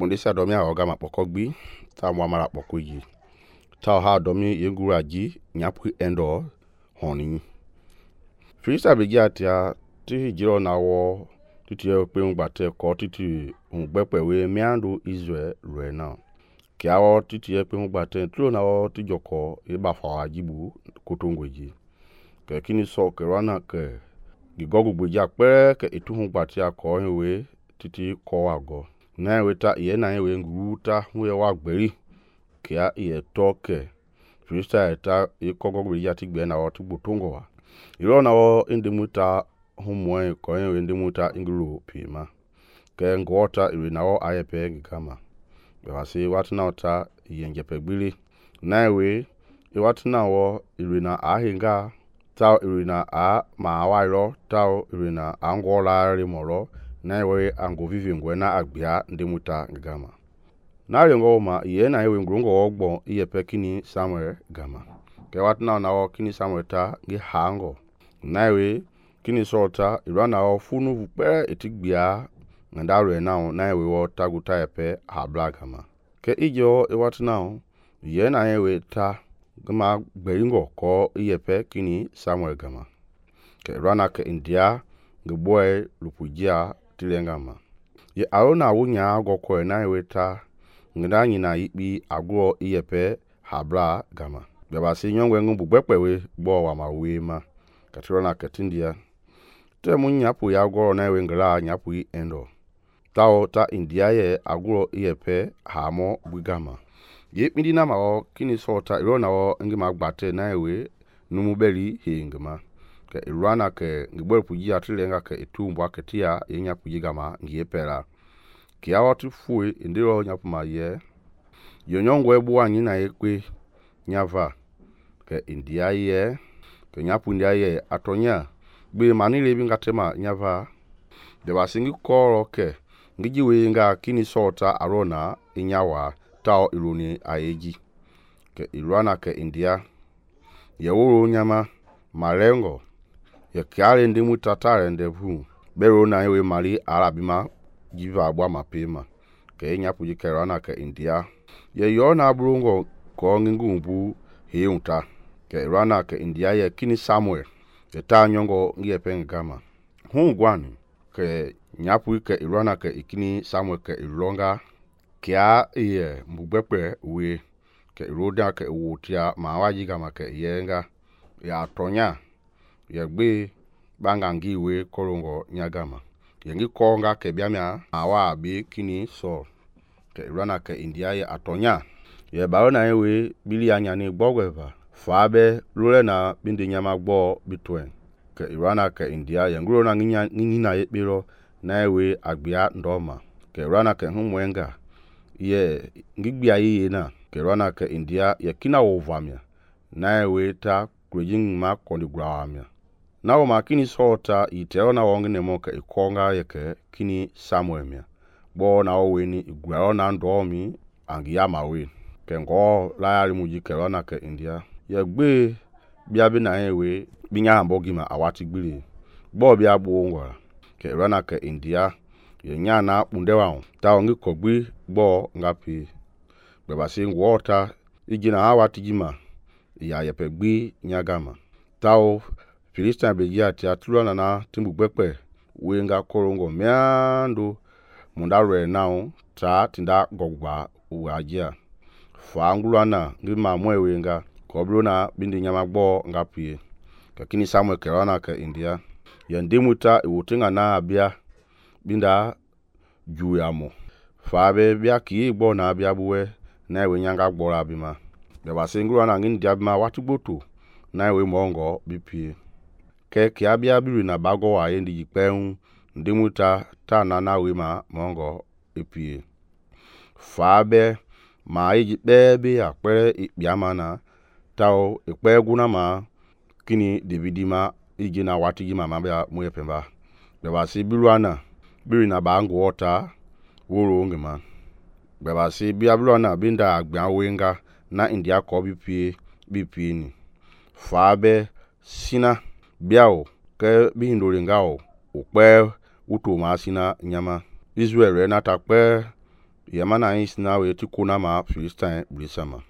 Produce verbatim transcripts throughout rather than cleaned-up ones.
kpondisia domi a oga ma pokogbi ta mwa mara pokoji ta ha domi yengura ji nyapu endo honi Filista begia tia ti jiro na wo titi pe ngbate ko titi ngbekpe we miando Israel ruena kiawo titi pe ngbate tlo na wo ti joko e ba fa jibu kotongweji ke kini so ke rana ke gigogu gbeja pe ke etu ngbate ko we titi ko wago na we ta ye na we nguta we wa gberi kia ye toke Filista ta e kogo gbeja ti gbe na wo ti gbotongo wa iro na wo indimuta humwe ko we indimuta ingulu pima ke ngota ire na wo ayepe gikama be wasi watna ta yenje pegbili na we e watna wo ire na ahinga ta ire na a ma wairo ta ire na angola rimoro na we ango vivi ngwena agbia ndimuta gama na rengo ma ye na we ngrongo ogbo iyepe kini Samuel gama ke watna na wo kini Samuel ta ngi hango na we kini sota irana wo funu pe etigbia ngandaro na na we wo taguta epe habla gama ke ijo e watna ye na we ta gama gberingo ko iyepe kini Samuel gama ke rana ke India ngboy lupujia tilengama ye arona wunya goko na we ta ndanyi na yipi agwo iyepe habla gama beba si nyongwe ngumbu gbekpe we gbo wa ma we ma katrona ketindia te mun nyapu ya goro na we ngla nyapu endo tao ta India ye agwo iyepe hamo bugama ye pindi na ma o kini sota irona o ngi ma gbate na we numu beli hingama ke irana ke ngbo puji atilenga ke etumbwa ketia ye nyapu gama ngi pera kia watu fue indiro nyapu ma ye yonyongwe buwa nyina ekwe nyava ke India ye ke nyapu India ye atonya gbe mani lebi ngatema nyava de wasingi koro ke ngiji we nga kini sota arona inyawa tao ironi ayeji ke irana ke India ye woro nyama malengo ye kiale ndimu tatare ndevu bero na we mali arabima jiva abwa mapema ke nyapu jikerana ke India ye yona brungo ko ngingumbu heunta ke rana ke India ye kini Samuel ke ta nyongo ngie pengama hu gwani ke nyapu ke irana ke ikini Samuel ke ilonga kia ye mbugbepe we ke roda ke wotia mawaji gama ke yenga ya tonya ye gbe bangangi we korongo nyagama yengi konga ke biamia awa bi kini so ke rana ke India ye atonya ye baona we bili anya ni gbogweva fabe lule na bindi nyama gbo bitwen ke rana ke India ye ngro na nginya ngina ye biro na we agbia ndoma ke rana ke humwenga ye ngigbia ye na ke rana ke India ye kina wovamia na we ta krejin ma kondigrawamia na wo makini sota itero na wonge nemo ke ikonga ye ke kini Samuel mia bo na wo weni igwaro na ndomi angi ya mawe ke ngo la ya muji ke rana ke India ye gbe bia bi na we binya ambogi ma awati gbili bo bia gbo ngwa ke rana ke India ye nya na pundewa ta ongi kogbi gbo ngapi be basi ngwota ijina awati jima ya yepe gbi nyagama tao Filista begia tia tulana na timbu gbekpe we nga korongo miando mundare nao ta tinda gogba uajia fa ngulana ngi ma mwewe nga kobrona bindi nyama gbo ngapie kakini Samuel kerana ke India yandimuta iwotinga na abia binda juyamo fa be bia ki gbo na abia buwe na we nyanga gbo abima be basingulana ngi ndiabima watugboto na we mongo bipie ke kia bia biri na bago wa yendi jikpen ndimuta ta na na we ma mongo epie fabe ma yi bebe akpe ikpiamana tao ikpe guna ma kini Davidi ma iji na watigi ma mabia mu epemba be basi biluana biri na bango wota woro ngema be basi bia biluana binda agbia wenga na India ko bipie bipie ni fabe sina biao ke bihindolingao ukpe uto masina nyama Israel na takpe yamana is na we ti kona ma Philistine brisama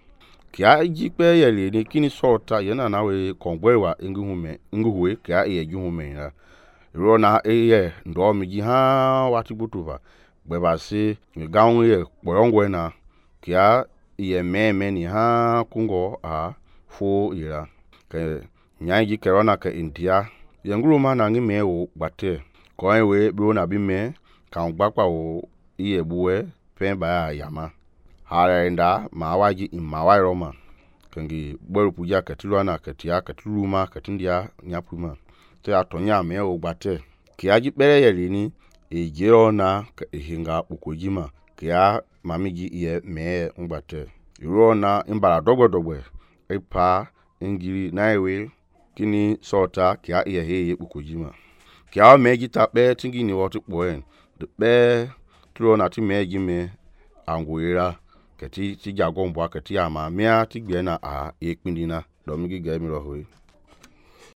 kia ji pe ye le ni kini sota yana na we kongwe wa ingu hume ingu huwe kia ye ju hume ya ro na e ye ndo mi ji ha wa ti butuva gbe ba si gaun ye boyongwe na kia ye me me ni ha kungo a fo ira ke nya ji kerona ke India ye ngulu ma na ngi me o gbate ko we bro na bi me kan gbapa o iye buwe pen ba yama harenda ma waji imma wa roma kangi boru puja katilo na katia katuluma katindia nyapuma te atonya me o gbate kia ji bere ye ni e jero na hinga ukojima kia mamiji ye me ngbate iro na imbara dogwe dogwe e pa ngiri na ewe kini sota kia ye he ukojima kia me jita be tingi ni wotu poen de be tro na ti me ji me anguira keti ti jagon bwa keti ama mia ti gbe na a ekpindina do mi gi ge mi ro hoyi.